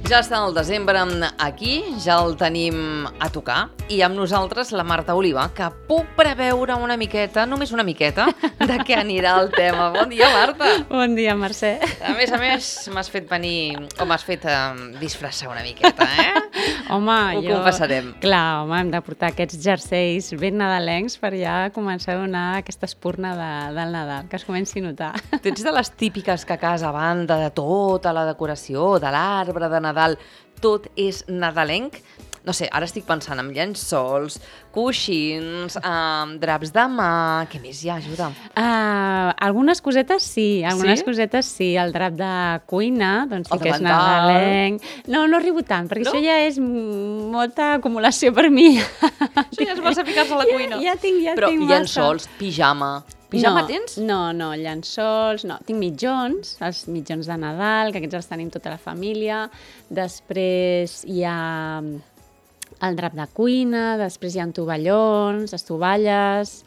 Ja està el desembre aquí, ja el tenim a tocar, i amb nosaltres la Marta Oliva, que puc preveure una miqueta, només una miqueta, de què anirà el tema. Bon dia, Marta! Bon dia, Mercè. A més, m'has fet venir, o m'has fet disfressar una miqueta, Home, Ho confessarem. Clar, home, hem de portar aquests jerseis ben nadalencs per ja començar a donar aquesta espurna del Nadal, que es comenci a notar. Tu ets de les típiques que a casa, a banda de tota la decoració, de l'arbre de Nadal, tot és nadalenc? No sé, ara estic pensant en llençols, coixins, draps de mà... Què més hi ha? Ajuda. Algunes cosetes sí, cosetes sí. El drap de cuina, doncs sí que és nadalenc. No arribo tant, perquè això ja és molta acumulació per mi. Això ja es va ficar-se a la cuina. Ja tinc Però massa. llençols, pijama... Pijama tens? No, llençols, no. Tinc mitjons, els mitjons de Nadal, que aquests els tenim tota la família. Després hi ha el drap de cuina, després hi ha tovallons, estovalles,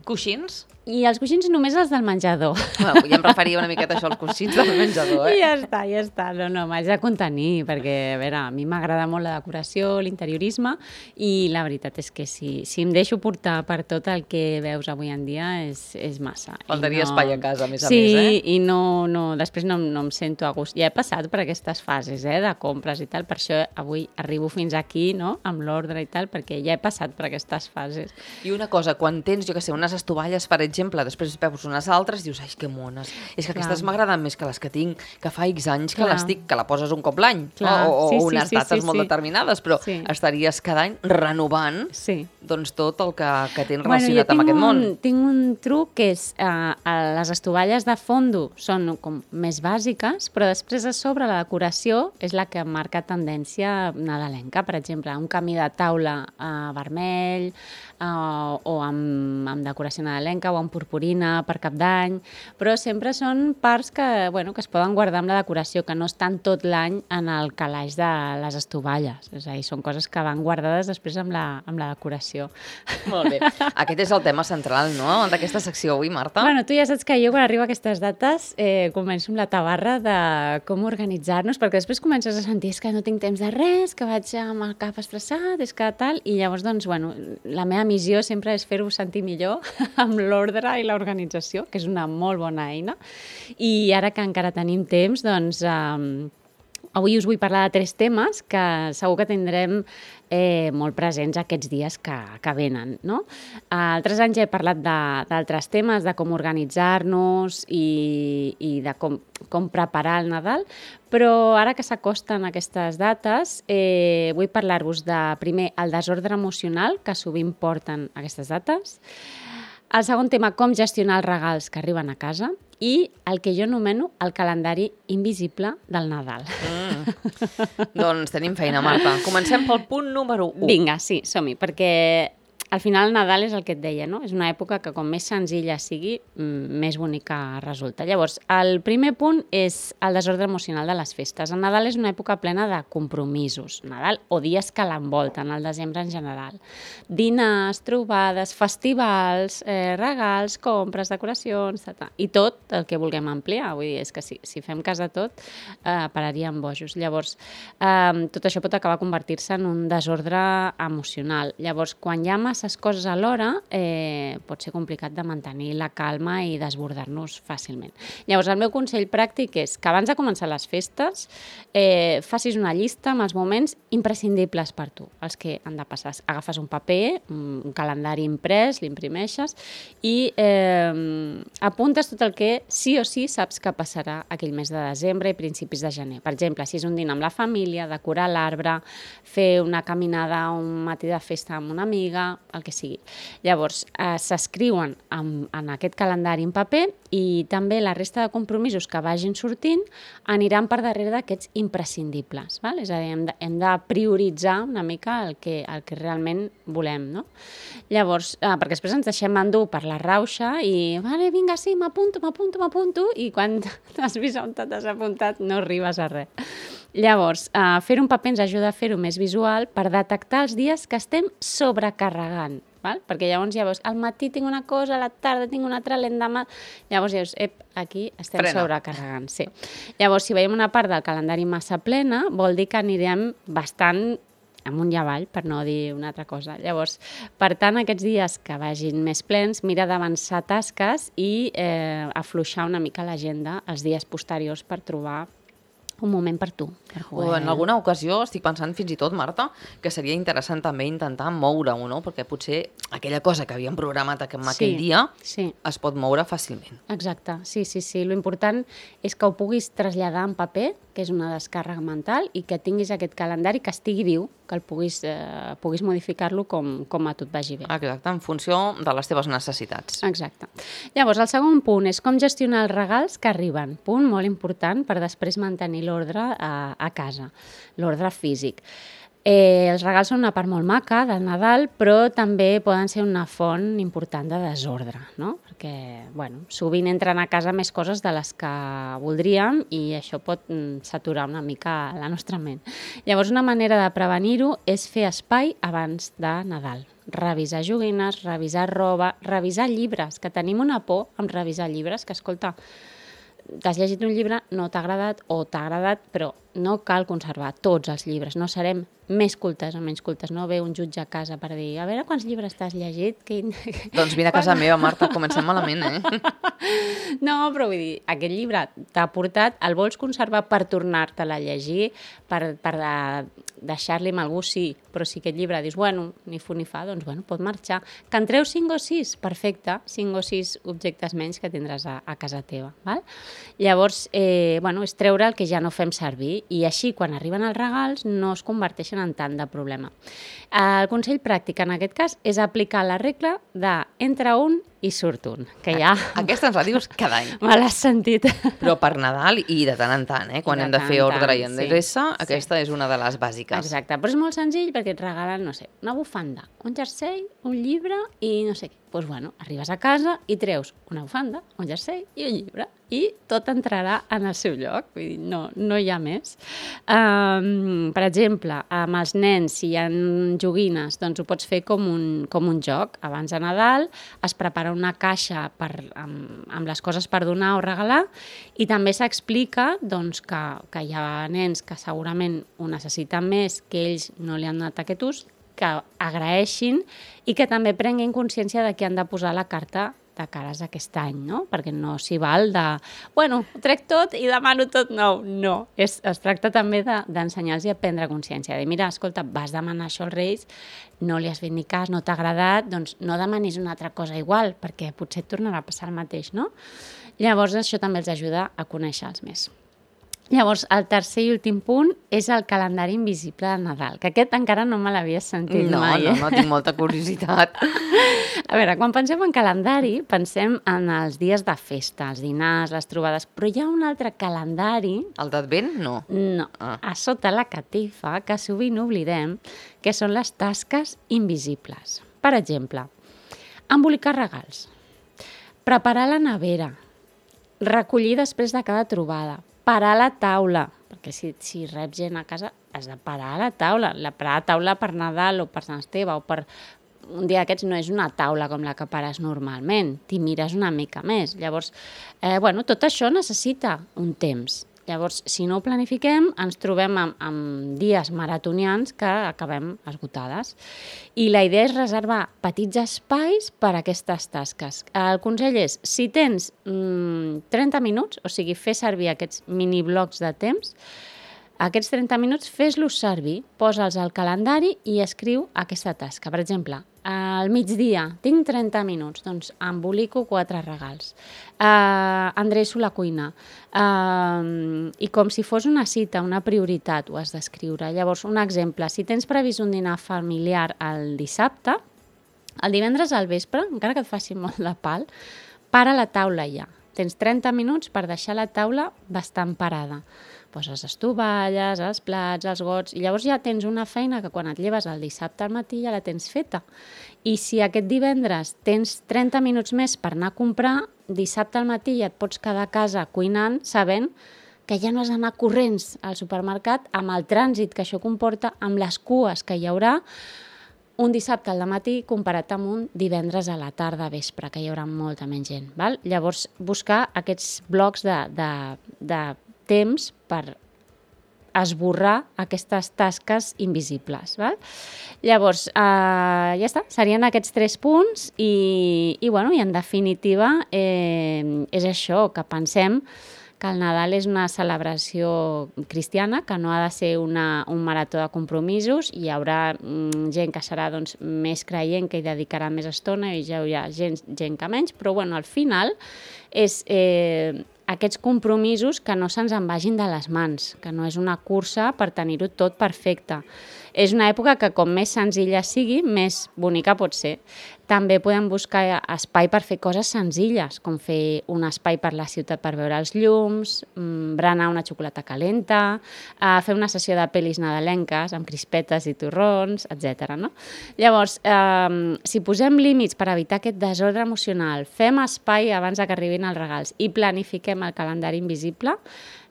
Coixins? I els coixins només els del menjador. Bueno, ja em referia una miqueta a això, els coixins del menjador, I ja està. No, m'haig de contenir, perquè, a veure, a mi m'agrada molt la decoració, l'interiorisme, i la veritat és que si em deixo portar per tot el que veus avui en dia és massa. Faltaria espai a casa, a més. Sí, i després no em sento a gust. Ja he passat per aquestes fases, de compres i tal, per això avui arribo fins aquí, no?, amb l'ordre i tal, perquè ja he passat per aquestes fases. I una cosa, quan tens, jo què sé, unes estovalles, per exemple, després veus unes altres i dius, ai, que mones. És que aquestes m'agraden més que les que tinc, que fa X anys que les tinc, que la poses un cop l'any, o unes dates molt determinades, però estaries cada any renovant doncs tot el que tens relacionat amb aquest món. Tinc un truc que és, les estovalles de fondo són com més bàsiques, però després a sobre la decoració és la que marca tendència nadalenca. Per exemple, un camí de taula vermell, o amb decoració nadalenca, o amb purpurina per Cap d'Any, però sempre són parts que es poden guardar amb la decoració, que no estan tot l'any en el calaix de les estovalles. És a dir, són coses que van guardades després amb la decoració. Molt bé. Aquest és el tema central, no?, d'aquesta secció avui, Marta. Bueno, tu ja saps que jo quan arribo a aquestes dates començo amb la tabarra de com organitzar-nos, perquè després comences a sentir que no tinc temps de res, que vaig amb el cap estressat, és que tal, i llavors, doncs, la meva missió sempre és fer-ho sentir millor amb l'ordre i l'organització, que és una molt bona eina. I ara que encara tenim temps, doncs, avui us vull parlar de 3 temes que segur que tindrem molt presents aquests dies que venen, no? Altres anys he parlat d'altres temes, de com organitzar-nos i de com preparar el Nadal, però ara que s'acosten aquestes dates, vull parlar-vos de, primer, el desordre emocional que sovint porten aquestes dates. El segon tema, com gestionar els regals que arriben a casa, i el que jo anomeno el calendari invisible del Nadal. Doncs tenim feina, Marta. Comencem pel punt número 1. Vinga, sí, som-hi, perquè al final el Nadal és el que et deia, no? És una època que com més senzilla sigui, més bonica resulta. Llavors, el primer punt és el desordre emocional de les festes. El Nadal és una època plena de compromisos, Nadal o dies que l'envolten, el desembre en general. Dinars, trobades, festivals, regals, compres, decoracions, i tot el que vulguem ampliar. Vull dir, és que si fem cas de tot, pararíem bojos. Llavors, tot això pot acabar convertir-se en un desordre emocional. Llavors, quan hi ha masses coses alhora, pot ser complicat de mantenir la calma i desbordar-nos fàcilment. Llavors, el meu consell pràctic és que abans de començar les festes facis una llista amb els moments imprescindibles per tu, els que han de passar. Agafes un paper, un calendari imprès, l'imprimeixes i apuntes tot el que sí o sí saps que passarà aquell mes de desembre i principis de gener. Per exemple, si és un dinar amb la família, decorar l'arbre, fer una caminada, un matí de festa amb una amiga, el que sigui. Llavors, s'escriuen en aquest calendari en paper i també la resta de compromisos que vagin sortint aniran per darrere d'aquests imprescindibles. Val? És a dir, hem de prioritzar una mica el que realment volem, no? Llavors, perquè després ens deixem endur per la rauxa i, vale, vinga, sí, m'apunto, i quan t'has vist on t'has apuntat no arribes a res. Llavors, fer un paper ens ajuda a fer-ho més visual per detectar els dies que estem sobrecarregant val? Perquè llavors ja veus, al matí tinc una cosa, a la tarda tinc una altra, l'endemà... Llavors ja veus, aquí estem sobrecarregant. Sí. Llavors, si veiem una part del calendari massa plena, vol dir que anirem bastant amunt i avall, per no dir una altra cosa. Llavors, per tant, aquests dies que vagin més plens, mira d'avançar tasques i afluixar una mica l'agenda els dies posteriors per trobar un moment per tu. O en alguna ocasió estic pensant fins i tot, Marta, que seria interessant també intentar moure-ho, no? Perquè potser aquella cosa que havíem programat aquell dia es pot moure fàcilment. Exacte, sí. L'important és que ho puguis traslladar en paper, que és una descàrrega mental, i que tinguis aquest calendari que estigui viu, que el puguis modificar-lo com a tu et vagi bé. Exacte, en funció de les teves necessitats. Exacte. Llavors, el segon punt és com gestionar els regals que arriben. Punt molt important per després mantenir l'ordre a casa, l'ordre físic. Els regals són una part molt maca del Nadal, però també poden ser una font important de desordre, no? Perquè, sovint entren a casa més coses de les que voldríem i això pot saturar una mica la nostra ment. Llavors, una manera de prevenir-ho és fer espai abans de Nadal. Revisar joguines, revisar roba, revisar llibres, que tenim una por amb revisar llibres, que, escolta, t'has llegit un llibre, no t'ha agradat o t'ha agradat, però no cal conservar tots els llibres, no serem més cultes o menys cultes, no ve un jutge a casa per dir, a veure quants llibres t'has llegit. Doncs vine a casa meva, Marta, comencem malament, No, però vull dir, aquest llibre t'ha portat, el vols conservar per tornar-te'l a llegir, per deixar-li amb algú, sí, però si aquest llibre dius, ni fu ni fa, doncs pot marxar. Que en treus 5 o 6, perfecte, 5 o 6 objectes menys que tindràs a casa teva, val? Llavors, és treure el que ja no fem servir i així, quan arriben els regals, no es converteixen en tant de problema. El consell pràctic en aquest cas és aplicar la regla de entra un i surt un, que ja... Aquesta ens la dius cada any. Me l'has sentit. Però per Nadal i de tant en tant, quan hem de fer ordre i endreça, aquesta és una de les bàsiques. Exacte, però és molt senzill perquè et regalen, no sé, una bufanda, un jersei, un llibre i no sé què. Doncs arribes a casa i treus una bufanda, un jersei i un llibre i tot entrarà en el seu lloc, vull dir, no hi ha més. Per exemple, amb els nens, si hi ha joguines, doncs ho pots fer com un joc. Abans de Nadal es prepara una caixa amb les coses per donar o regalar i també s'explica que hi ha nens que segurament ho necessiten més, que ells no li han donat aquest ús, que agraeixin i que també prenguin consciència de que han de posar la carta de cares aquest any, no? Perquè no s'hi val de, ho trec tot i demano tot nou. No, es tracta també d'ensenyar-los a prendre consciència, de mira, escolta, vas demanar això als Reis, no li has fet ni cas, no t'ha agradat, doncs no demanis una altra cosa igual, perquè potser et tornarà a passar el mateix, no? Llavors això també els ajuda a conèixer-los més. Llavors, el tercer i últim punt és el calendari invisible de Nadal, que aquest encara no me l'havies sentit mai. No, tinc molta curiositat. A veure, quan pensem en calendari, pensem en els dies de festa, els dinars, les trobades, però hi ha un altre calendari... El d'Advent, no? No, a sota la catifa, que sovint oblidem, que són les tasques invisibles. Per exemple, embolicar regals, preparar la nevera, recollir després de cada trobada, parar la taula, perquè si reps gent a casa has de parar la taula. Parar la taula per Nadal o per Sant Esteve o per un dia d'aquests no és una taula com la que pares normalment, t'hi mires una mica més. Llavors, tot això necessita un temps. Llavors, si no ho planifiquem, ens trobem amb dies maratonians que acabem esgotades. I la idea és reservar petits espais per a aquestes tasques. El consell és, si tens 30 minuts, o sigui, fer servir aquests miniblocs de temps, aquests 30 minuts fes-los servir, posa'ls al calendari i escriu aquesta tasca. Per exemple, al migdia tinc 30 minuts, doncs embolico 4 regals, endreço la cuina i com si fos una cita, una prioritat, ho has d'escriure. Llavors, un exemple, si tens previst un dinar familiar el dissabte, el divendres al vespre, encara que et faci molt de pal, para la taula ja. Tens 30 minuts per deixar la taula bastant parada. Poses les tovalles, els plats, els gots, i llavors ja tens una feina que quan et lleves el dissabte al matí ja la tens feta. I si aquest divendres tens 30 minuts més per anar a comprar, dissabte al matí ja et pots quedar a casa cuinant sabent que ja no has d'anar corrents al supermercat amb el trànsit que això comporta, amb les cues que hi haurà, un dissabte al matí comparat amb un divendres a la tarda vespre, que hi haurà molta menys gent. Val? Llavors, buscar aquests blocs de temps per esborrar aquestes tasques invisibles. Val? Llavors, ja està, serien aquests 3 punts i en definitiva és això, que pensem que el Nadal és una celebració cristiana, que no ha de ser un marató de compromisos. Hi haurà gent que serà més creient, que hi dedicarà més estona, i ja hi ha gent que menys, però al final és aquests compromisos que no se'ns en vagin de les mans, que no és una cursa per tenir-ho tot perfecte. És una època que com més senzilla sigui, més bonica pot ser. També podem buscar espai per fer coses senzilles, com fer un espai per la ciutat per veure els llums, berenar una xocolata calenta, fer una sessió de pel·lis nadalenques amb crispetes i torrons, etc. No? Llavors, si posem límits per evitar aquest desordre emocional, fem espai abans que arribin els regals i planifiquem el calendari invisible,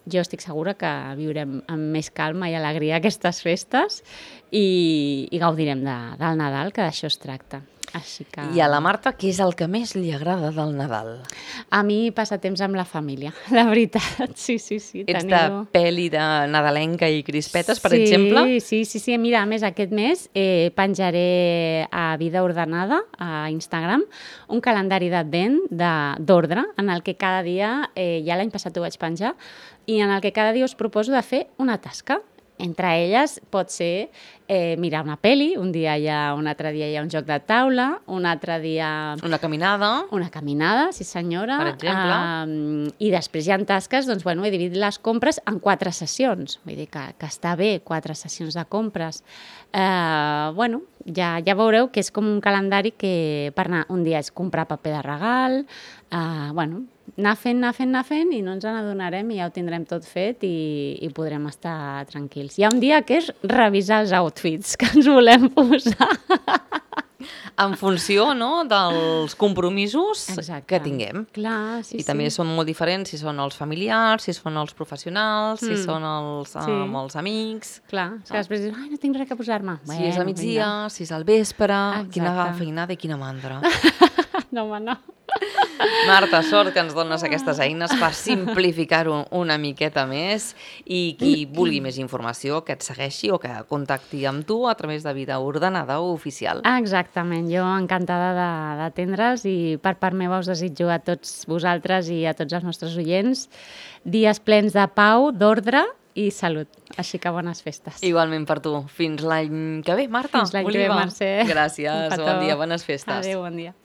jo estic segura que viurem amb més calma i alegria aquestes festes i gaudirem del Nadal, que d'això es tracta. Així que... I a la Marta, què és el que més li agrada del Nadal? A mi passar temps amb la família, la veritat. Sí. Ets de pel·li de nadalenca i crispetes, per exemple? Sí. Mira, a més, aquest mes penjaré a Vida Ordenada, a Instagram, un calendari d'advent d'ordre, en el que cada dia, ja l'any passat ho vaig penjar, i en el que cada dia us proposo de fer una tasca. Entre elles pot ser mirar una pel·li, un altre dia hi ha un joc de taula, un altre dia... Una caminada. Una caminada, sí senyora. Per exemple. I després hi ha tasques, he dividit les compres en 4 sessions. Vull dir que està bé, 4 sessions de compres. Ja veureu que és com un calendari que per anar un dia és comprar paper de regal, anar fent i no ens n'adonarem i ja ho tindrem tot fet i podrem estar tranquils. Hi ha un dia que és revisar els outfits que ens volem posar. En funció, no?, dels compromisos que tinguem. Clar, sí. I també són molt diferents si són els familiars, si són els professionals, si són els amics. Clar, que després dius, no tinc res que posar-me. Si és al migdia, si és al vespre, quina feinada i quina mandra. No, home, no. Marta, sort que ens dones aquestes eines per simplificar-ho una miqueta més i qui vulgui més informació que et segueixi o que contacti amb tu a través de Vida Ordenada oficial. Exactament, jo encantada d'atendre's i per part meva us desitjo a tots vosaltres i a tots els nostres oients dies plens de pau, d'ordre i salut. Així que bones festes. Igualment per tu. Fins l'any que ve, Marta. Fins l'any que ve, Mercè. Gràcies, bon dia, bones festes. Adéu, bon dia.